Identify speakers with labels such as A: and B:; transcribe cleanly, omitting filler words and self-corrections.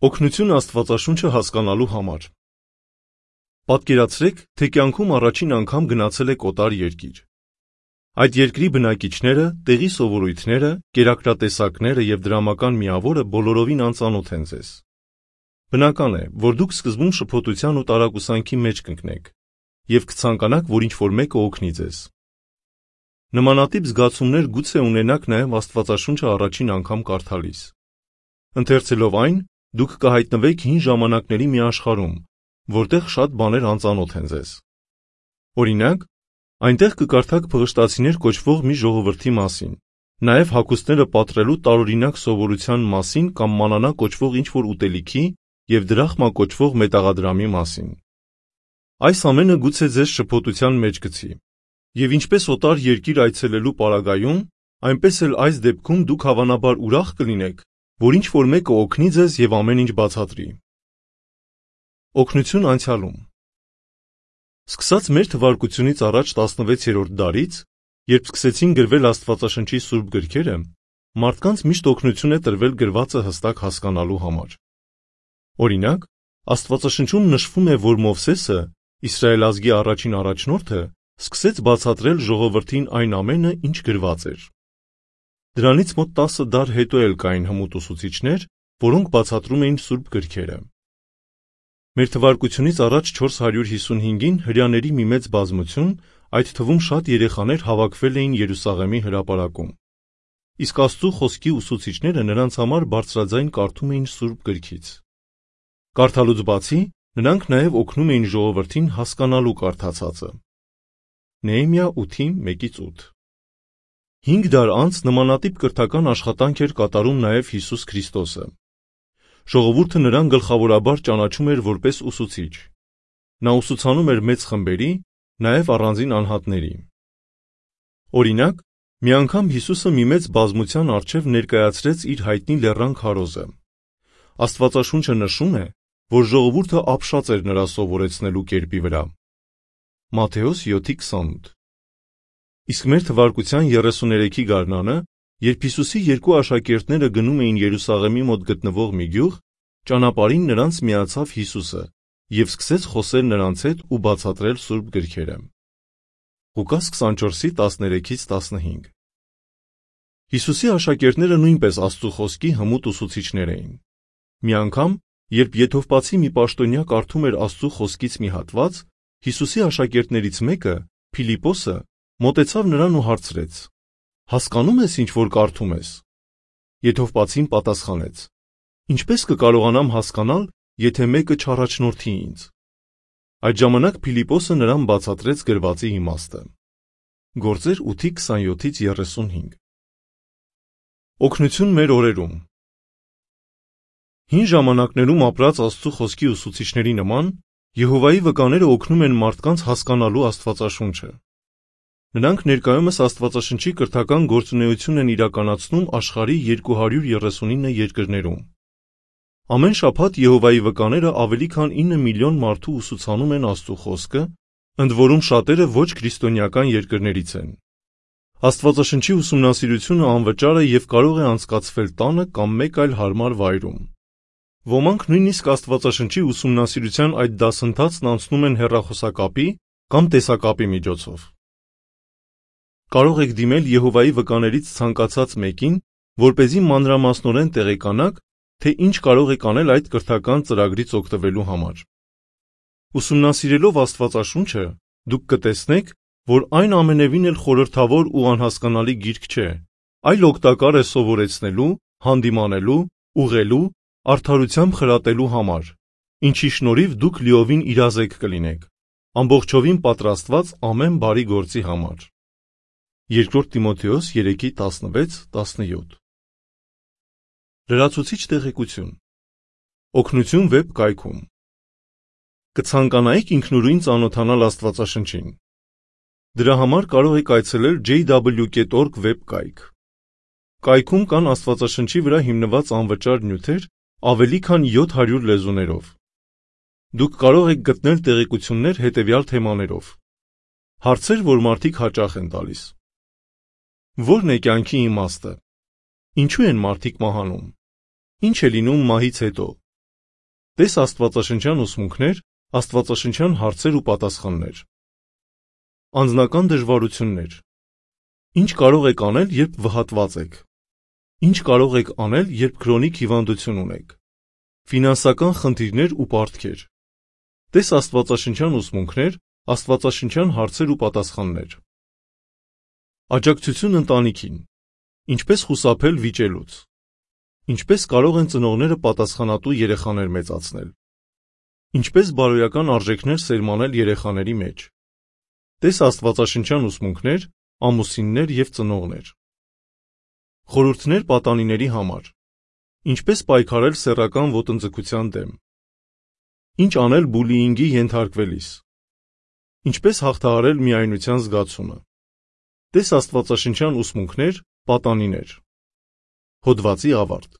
A: Օգնություն Աստվածաշունչը հասկանալու համար։ Պատկերացրեք, թե կյանքում առաջին անգամ գնացել եք օտար երկիր։ Այդ երկրի բնակիչները, տեղի սովորույթները, կերակրատեսակները և դրամական միավորը բոլորովին անծանոթ են ձեզ։ Բնական է, որ դուք սկզբում շփոթության ու տարակուսանքի մեջ կընկնեք և կցանկանաք, որ ինչ-որ մեկը օգնի ձեզ։ Նմանատիպ զգացումներ գուցե ունենաք նաև Աստվածաշունչը առաջին անգամ կարդալիս։ Ընթերցելով այն, դուք կհայտնվեք հին ժամանակների մի աշխարհում, որտեղ շատ բաներ անծանոթ են ձեզ։ Օրինակ, այնտեղ կկարդաք փղշտացիներ կոչվող մի ժողովրդի մասին, նաև հագուստները պատրելու տարօրինակ սովորության մասին կամ մանանա կոչվող ինչ-որ ուտելիքի և դրախմա կոչվող մետաղադրամի մասին։ Այս ամենը գուցե ձեզ շփոթության մեջ գցի, և ինչպես օտար երկիր այցելելու պարագայում, այնպես էլ այս դեպքում դուք հավանաբար ուրախ կլինեք, որ ինչ-որ մեկը օգնի ձեզ և ամեն ինչ բացատրի։ Օգնություն անցյալում։ Սկսած մեր թվարկությունից առաջ 16-րդ դարից, երբ սկսեցին գրվել Աստվածաշնչի սուրբ գրքերը, մարդկանց միշտ օգնություն է տրվել գրվածը հստակ հասկանալու համար։ Օրինակ, Աստվածաշնչում նշվում է, որ Մովսեսը, Իսրայել ազգի առաջին առաջնորդը, սկսեց բացատրել ժողովրդին այն ամենը, ինչ գրված էր։ Դրանից մոտ 10 դար հետո էլ կային հմուտ ուսուցիչներ, որոնք բացատրում էին սուրբ գրքերը։ Մեր թվարկությունից առաջ 455-ին հրեաների մի մեծ բազմություն, այդ թվում շատ երեխաներ հավաքվել էին Երուսաղեմի հրապարակում։ Իսկ Աստծու խոսքի ուսուցիչները նրանց համար բարձրաձայն կարդում էին սուրբ գրքից։ Կարդալուց բացի, նրանք նաև օգնում էին ժողովրդին հասկանալու կարդացածը։ Նեհեմիա 8:1-8 5 դար անց նմանատիպ կրթական աշխատանք էր կատարում նաև Հիսուս Քրիստոսը։ Ժողովուրդը նրան գլխավորաբար ճանաչում էր որպես ուսուցիչ։ Նա ուսուցանում էր մեծ խմբերի, նաև առանձին անհատների։ Օրինակ, մի անգամ Հիսուսը մի մեծ բազմության առջև ներկայացրեց իր հայտնի լեռան քարոզը։ Աստվածաշունչը նշում է, որ ժողովուրդը ապշած էր նրա սովորեցնելու կերպի վրա։ Մատթեոս 7:28 Իսկ մեր թվարկության 33-ի գարնանը, երբ Հիսուսի երկու աշակերտները գնում էին Երուսաղեմի մոտ գտնվող մի գյուղ, ճանապարհին նրանց միացավ Հիսուսը և սկսեց խոսել նրանց հետ ու բացատրել սուրբ գրքերը։ Ղուկաս 24:13-15 Հիսուսի աշակերտները նույնպես Աստծու խոսքի հմուտ ուսուցիչներ էին։ Մի անգամ, երբ եթովպացի մի պաշտոնյա կարդում էր Աստծու խոսքից մի հատված, Հիսուսի աշակերտներից մեկը, Փիլիպոսը, մոտեցավ նրան ու հարցրեց. «Հասկանում ես, ինչ որ կարդում ես»։ Եթովպացին պատասխանեց. «Ինչպես կկարողանամ հասկանալ, եթե մեկը չառաջնորդի ինձ»։ Այդ ժամանակ Փիլիպոսը նրան բացատրեց գրվածի իմաստը։ Գործեր 8:27-35 Օգնություն մեր օրերում։ Հին ժամանակներում ապրած Աստծու խոսքի ուսուցիչների նման, Եհովայի վկաները օգնում են մարդկանց հասկանալու Աստվածաշունչը։ Նրանք ներկայումս Աստվածաշնչի կրթական գործունեություն են իրականացնում աշխարհի 239 երկրներում։ Ամեն շաբաթ Եհովայի վկաները ավելի քան 9 միլիոն մարդու ուսուցանում են Աստծու խոսքը, ընդ որում շատերը ոչ քրիստոնեական երկրներից են։ Աստվածաշնչի ուսումնասիրությունը անվճար է և կարող է անցկացվել տանը կամ մեկ այլ հարմար վայրում։ Ոմանք նույնիսկ Աստվածաշնչի ուսումնասիրության այդ դասընթացն անցնում են հեռախոսակապի կամ տեսակապի միջոցով։ Կարող եք դիմել Եհովայի վկաներից ցանկացած մեկին, որպեսզի մանրամասնորեն տեղեկանաք, թե ինչ կարող եք անել այդ կրթական ծրագրից օգտվելու համար։ Ուսումնասիրելով Աստվածաշունչը, դուք կտեսնեք, որ այն ամենևին էլ խորհրդավոր ու անհասկանալի գիրք չէ, այլ օգտակար է սովորեցնելու, հանդիմանելու, ուղղելու, արդարությամբ խրատելու համար, ինչի շնորհիվ դուք լիովին իրազեկ կլինեք, ամբողջովին պատրաստված ամեն բարի գործի համար։ 2 Տիմոթեոս 3:16-17 Լրացուցիչ տեղեկություն։ Օգնություն վեբ կայքում։ Կցանկանայիք ինքնուրույն ծանոթանալ Աստվածաշնչին։ Դրա համար կարող եք այցելել jw.org վեբ կայք։ Կայքում կան Աստվածաշնչի վրա հիմնված անվճար նյութեր ավելի քան 700 լեզուներով։ Դուք կարող եք գտնել տեղեկություններ հետևյալ թեմաներով։ Հարցեր, որ մարդիկ հաճախ են տալիս։ Ո՞րն է կյանքի իմաստը։ Ինչու են մարդիկ մահանում։ Ինչ է լինում մահից հետո։ Տես աստվածաշնչյան ուսմունքներ, աստվածաշնչյան հարցեր ու պատասխաններ։ Անձնական դժվարություններ։ Ինչ կարող եք անել, երբ վհատված եք։ Ինչ կարող եք անել, երբ քրոնիկ հիվանդություն ունեք։ Ֆինանսական խնդիրներ ու պարտքեր։ Տես աստվածաշնչյան ուսմունքներ, աստվածաշնչյան հարցեր ու պատասխաններ։ Աջակցություն ընտանիքին։ Ինչպես խուսափել վիճելուց։ Ինչպես կարող են ծնողները պատասխանատու երեխաներ մեծացնել։ Ինչպես բարոյական արժեքներ սերմանել երեխաների մեջ։ Տես աստվածաշնչյան ուսմունքներ, ամուսիններ և ծնողներ։ Խորհուրդներ պատանիների համար։ Ինչպես պայքարել սեռական ոտնձգության դեմ։ Ինչ անել բուլիինգի ենթարկվելիս։ Ինչպես հաղթահարել միայնության զգացումը։ Տես աստվածաշնչյան ուսմունքներ, պատանիներ։ Հոդվացի ավարտ։